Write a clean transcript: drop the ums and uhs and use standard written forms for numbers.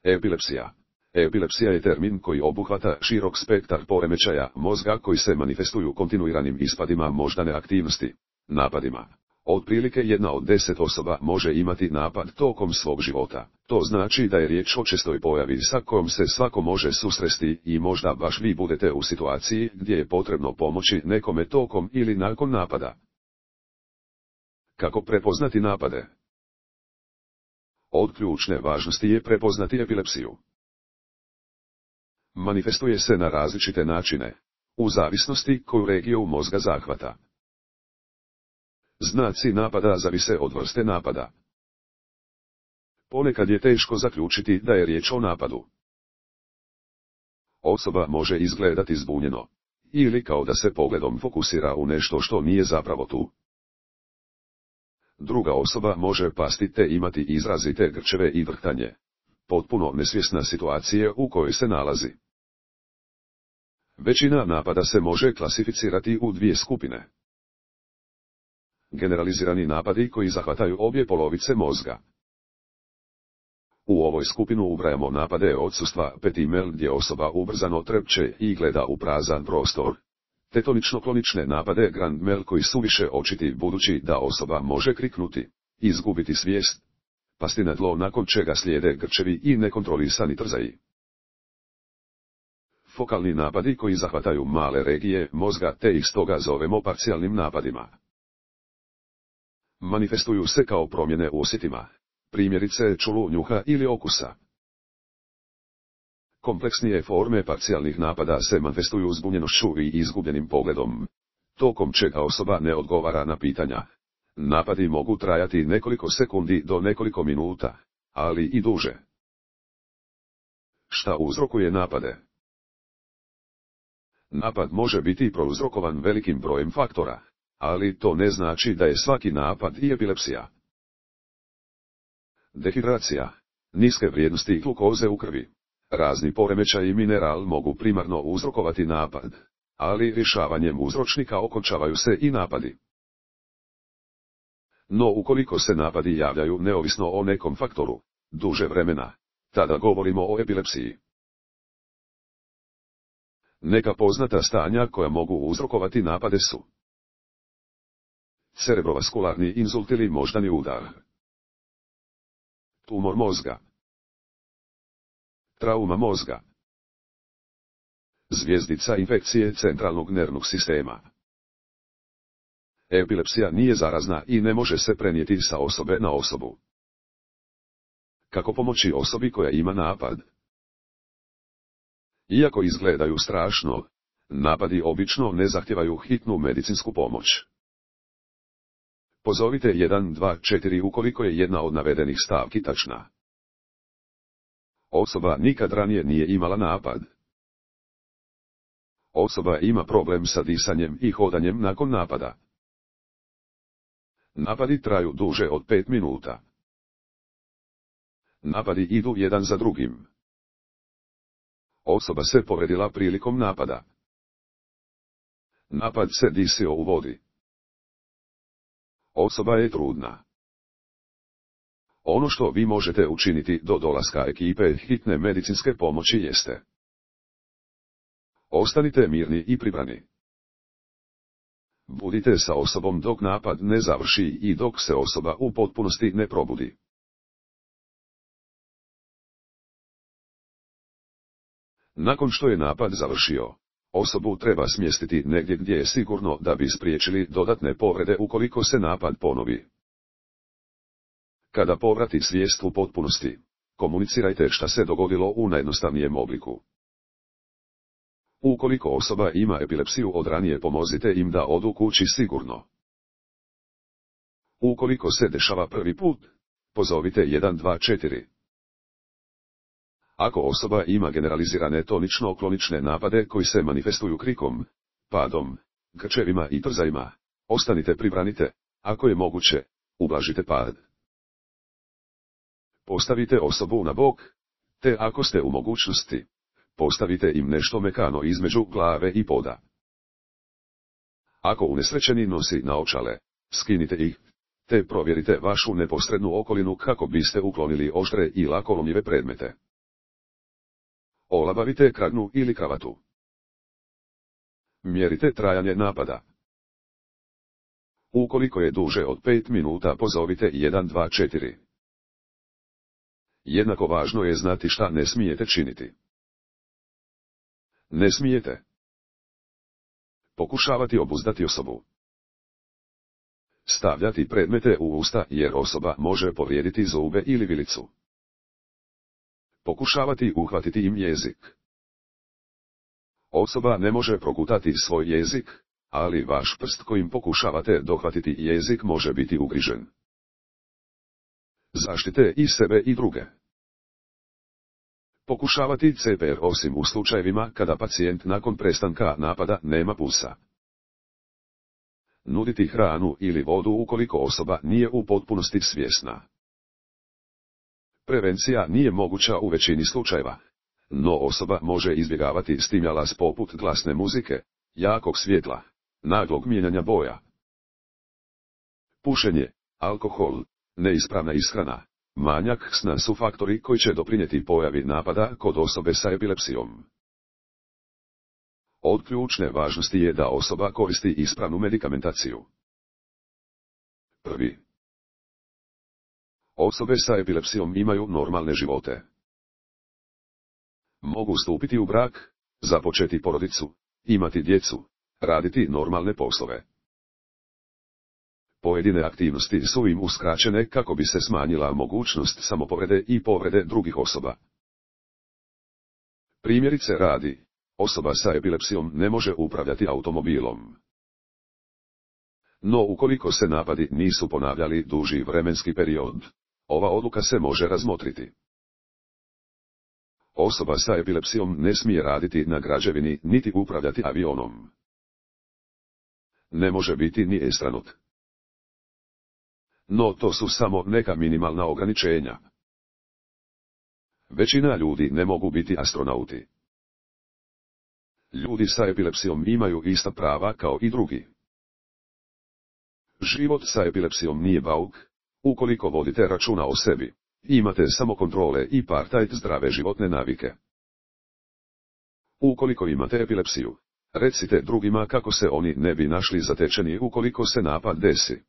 Epilepsija. Epilepsija je termin koji obuhvata širok spektar poremećaja mozga koji se manifestuju kontinuiranim ispadima moždane aktivnosti, napadima. Otprilike 1 od 10 osoba može imati napad tokom svog života. To znači da je riječ o čestoj pojavi sa kojom se svako može susresti i možda baš vi budete u situaciji gdje je potrebno pomoći nekome tokom ili nakon napada. Kako prepoznati napade? Od ključne važnosti je prepoznati epilepsiju. Manifestuje se na različite načine, u zavisnosti koju regiju mozga zahvata. Znaci napada zavise od vrste napada. Ponekad je teško zaključiti da je riječ o napadu. Osoba može izgledati zbunjeno, ili kao da se pogledom fokusira u nešto što nije zapravo tu. Druga osoba može pasti te imati izrazite grčeve i vrhtanje, potpuno nesvjesna situacije u kojoj se nalazi. Većina napada se može klasificirati u 2 skupine. Generalizirani napadi koji zahvataju obje polovice mozga. U ovoj skupinu ubrajamo napade odsustva petimel gdje osoba ubrzano trepće i gleda u prazan prostor, te tonično-klonične napade grand mal koji su više očiti budući da osoba može kriknuti, izgubiti svijest, pasti na tlo nakon čega slijede grčevi i nekontrolisani trzaji. Fokalni napadi koji zahvataju male regije mozga te ih stoga zovemo parcijalnim napadima. Manifestuju se kao promjene u osjetima, primjerice čulu, njuha ili okusa. Kompleksnije forme parcijalnih napada se manifestuju zbunjenošću i izgubljenim pogledom, tokom čega osoba ne odgovara na pitanja. Napadi mogu trajati nekoliko sekundi do nekoliko minuta, ali i duže. Šta uzrokuje napade? Napad može biti prouzrokovan velikim brojem faktora, ali to ne znači da je svaki napad i epilepsija. Dehidracija, niske vrijednosti glukoze u krvi, razni poremećaji mineral mogu primarno uzrokovati napad, ali rješavanjem uzročnika okončavaju se i napadi. No ukoliko se napadi javljaju neovisno o nekom faktoru, duže vremena, tada govorimo o epilepsiji. Neka poznata stanja koja mogu uzrokovati napade su: cerebrovaskularni inzult ili moždani udar, tumor mozga, trauma mozga, zvjezdica infekcije centralnog nervnog sistema. Epilepsija nije zarazna i ne može se prenijeti sa osobe na osobu. Kako pomoći osobi koja ima napad? Iako izgledaju strašno, napadi obično ne zahtijevaju hitnu medicinsku pomoć. Pozovite 124 ukoliko je jedna od navedenih stavki tačna. Osoba nikad ranije nije imala napad. Osoba ima problem sa disanjem i hodanjem nakon napada. Napadi traju duže od 5 minuta. Napadi idu jedan za drugim. Osoba se povredila prilikom napada. Napad se disio u vodi. Osoba je trudna. Ono što vi možete učiniti do dolaska ekipe hitne medicinske pomoći jeste: ostanite mirni i pribrani. Budite sa osobom dok napad ne završi i dok se osoba u potpunosti ne probudi. Nakon što je napad završio, osobu treba smjestiti negdje gdje je sigurno da bi spriječili dodatne povrede ukoliko se napad ponovi. Kada povrati svijest u potpunosti, komunicirajte šta se dogodilo u najjednostavnijem obliku. Ukoliko osoba ima epilepsiju od ranije, pomozite im da odu kući sigurno. Ukoliko se dešava prvi put, pozovite 124. Ako osoba ima generalizirane tonično-klonične napade koji se manifestuju krikom, padom, grčevima i trzajima, ostanite pribranite, ako je moguće, ublažite pad. Postavite osobu na bok, te ako ste u mogućnosti, postavite im nešto mekano između glave i poda. Ako unesrećeni nosi naočale, skinite ih, te provjerite vašu neposrednu okolinu kako biste uklonili oštre i lako lomljive predmete. Olabavite kragnu ili kravatu. Mjerite trajanje napada. Ukoliko je duže od 5 minuta pozovite 124. Jednako važno je znati šta ne smijete činiti. Ne smijete pokušavati obuzdati osobu. Stavljati predmete u usta jer osoba može povrijediti zube ili vilicu. Pokušavati uhvatiti im jezik. Osoba ne može progutati svoj jezik, ali vaš prst kojim pokušavate dohvatiti jezik može biti ugrižen. Zaštite i sebe i druge. Pokušavati CPR osim u slučajevima kada pacijent nakon prestanka napada nema pulsa. Nuditi hranu ili vodu ukoliko osoba nije u potpunosti svjesna. Prevencija nije moguća u većini slučajeva, no osoba može izbjegavati stimulans poput glasne muzike, jakog svjetla, naglog mijenjanja boja. Pušenje, alkohol, neispravna ishrana, manjak sna su faktori koji će doprinijeti pojavi napada kod osobe sa epilepsijom. Od ključne važnosti je da osoba koristi ispravnu medikamentaciju. Prvi. Osobe sa epilepsijom imaju normalne živote. Mogu stupiti u brak, započeti porodicu, imati djecu, raditi normalne poslove. Pojedine aktivnosti su im uskraćene kako bi se smanjila mogućnost samopovrede i povrede drugih osoba. Primjerice radi, osoba sa epilepsijom ne može upravljati automobilom. No ukoliko se napadi nisu ponavljali duži vremenski period, ova odluka se može razmotriti. Osoba sa epilepsijom ne smije raditi na građevini niti upravljati avionom. Ne može biti ni estranut. No to su samo neka minimalna ograničenja. Većina ljudi ne mogu biti astronauti. Ljudi sa epilepsijom imaju ista prava kao i drugi. Život sa epilepsijom nije bauk, ukoliko vodite računa o sebi, imate samokontrole i partajt zdrave životne navike. Ukoliko imate epilepsiju, recite drugima kako se oni ne bi našli zatečeni ukoliko se napad desi.